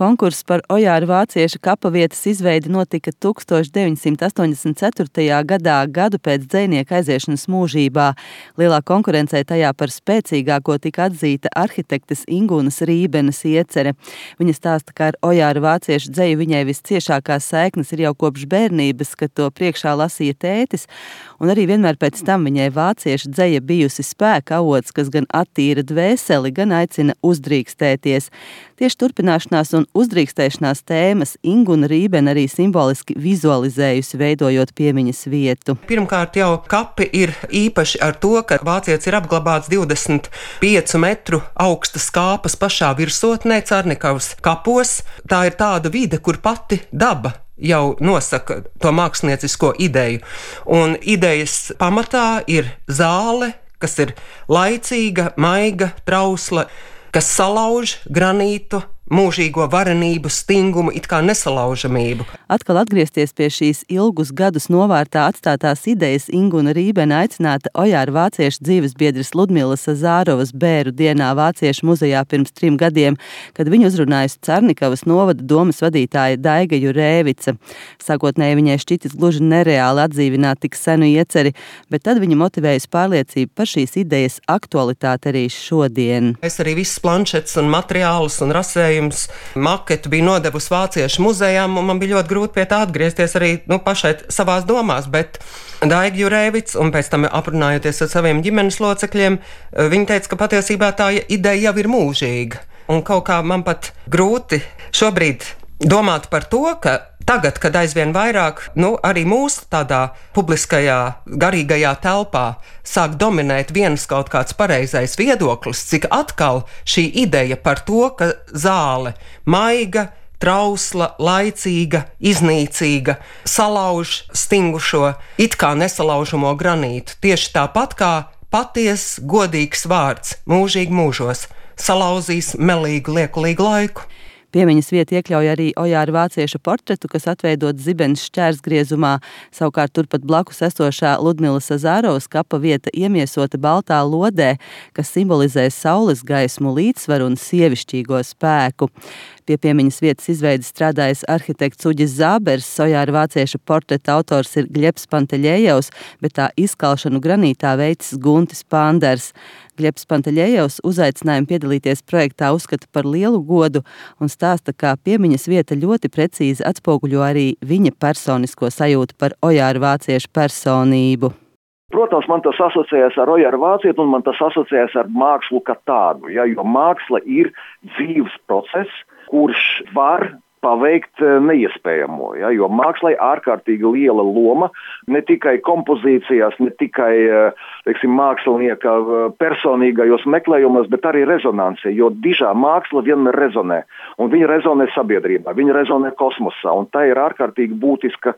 Konkurss par Ojāra vācieša kapavietas izveidi notika 1984. gadā, gadu pēc dzejnieka aiziešanas mūžībā. Lielā konkurencē tajā par spēcīgāko tika atzīta arhitektes Ingūnas Rībenes iecere. Viņa stāsta, ka ar Ojāra vācieša dzeju viņai visciešākās saiknes ir jau kopš bērnības, kad to priekšā lasīja tētis, un arī vienmēr pēc tam viņai vācieša dzeja bijusi spēka avots, kas gan attīra dvēseli, gan aicina uzdrīkstēties. Tieši turpināšanās un uzdrīkstēšanās tēmas Ingūna Rībene arī simboliski vizualizējusi, veidojot piemiņas vietu. Pirmkārt jau kapi ir īpaši ar to, ka vācietis ir apglabāts 25 metru augstas kāpas pašā virsotnē Carnikavas kapos. Tā ir tāda vide, kur pati daba jau nosaka to māksliniecisko ideju. Un idejas pamatā ir zāle, kas ir laicīga, maiga, trausla, kas salauž granītu, mūžīgo varenību, stingumu, it kā nesalaužamību. Atkal atgriezties pie šīs ilgus gadus novārtā atstātās idejas Ingūna Rībene aicināta Ojāra vācieša dzīvesbiedres Ludmilas Zārovas bēru dienā Vāciešu muzejā pirms 3 gadiem, kad viņu uzrunājusi Carnikavas novada domas vadītāja Daiga Jurēvica. Sākotnēji viņai šķitis gluži nereāli atdzīvināt tik senu ieceri, bet tad viņa motivējusi pārliecību par šīs idejas aktualitāti arī šodien. Es arī visas planšetes un materiālus un rasējumus maketu bija nodevusi Vāciešu muzejām, un man bija ļoti grūti pie tā atgriezties arī pašai savās domās, bet Daiga Jurēvica, un pēc tam aprunājoties ar saviem ģimenes locekļiem, viņa teica, ka patiesībā tā ideja jau ir mūžīga. Un kaut kā man pat grūti šobrīd domāt par to, ka tagad, kad aizvien vairāk, arī mūsu tādā publiskajā, garīgajā telpā sāk dominēt viens kaut kāds pareizais viedoklis, cik atkal šī ideja par to, ka zāle maiga, trausla, laicīga, iznīcīga, salauž stingušo, it kā nesalaužamo granītu. Tieši tāpat kā paties, godīgs vārds mūžīgi mūžos salauzīs melīgu, liekulīgu laiku. Piemiņas vieta iekļauj arī Ojāra vācieša portretu, kas atveidots Zibenes šķērsgriezumā. Savukārt turpat blakus esošā Ludmilas Zārovas kapa vieta iemiesota baltā lodē, kas simbolizē saules gaismu, līdzsvaru un sievišķīgo spēku. Pie piemiņas vietas izveides strādājis arhitekts Uģis Zābers, Ojāra vācieša portreta autors ir Gļebs Panteļejevs, bet tā izkalšanu granītā veicis Guntis Panders. Gļebs Panteļejevs uzaicinājumu piedalīties projektā uzskata par lielu godu un stāsta, ka piemiņas vieta ļoti precīzi atspoguļo arī viņa personisko sajūtu par Ojāra vācieša personību. Protams, man tas asociējas ar Ojāra vācieti un man tas asociējas ar mākslu kā tādu, jo māksla ir dzīves process, kurš var paveikt neiespējamo, jo mākslai ārkārtīgi liela loma ne tikai kompozīcijās, ne tikai, mākslinieka personīgajos meklējumos, bet arī rezonansē, jo dižā māksla vienmēr rezonē, un viņa rezonē sabiedrībā, viņa rezonē kosmosā, un tā ir ārkārtīgi būtiska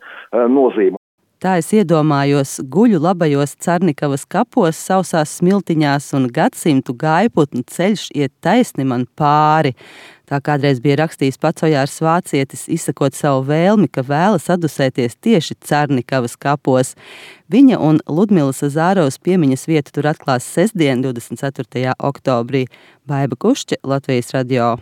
nozīme. Tā es iedomājos, guļu labajos Carnikavas kapos, sausās smiltiņās un gadsimtu gaiputnu ceļš iet taisni man pāri. Tā kādreiz bija rakstījis pats Ojārs vācietis, izsakot savu vēlmi, ka vēlas adusēties tieši Carnikavas kapos. Viņa un Ludmilas Zārovas piemiņas vietu tur atklās sestdien, 24. oktobrī. Baiba Kušķe, Latvijas radio.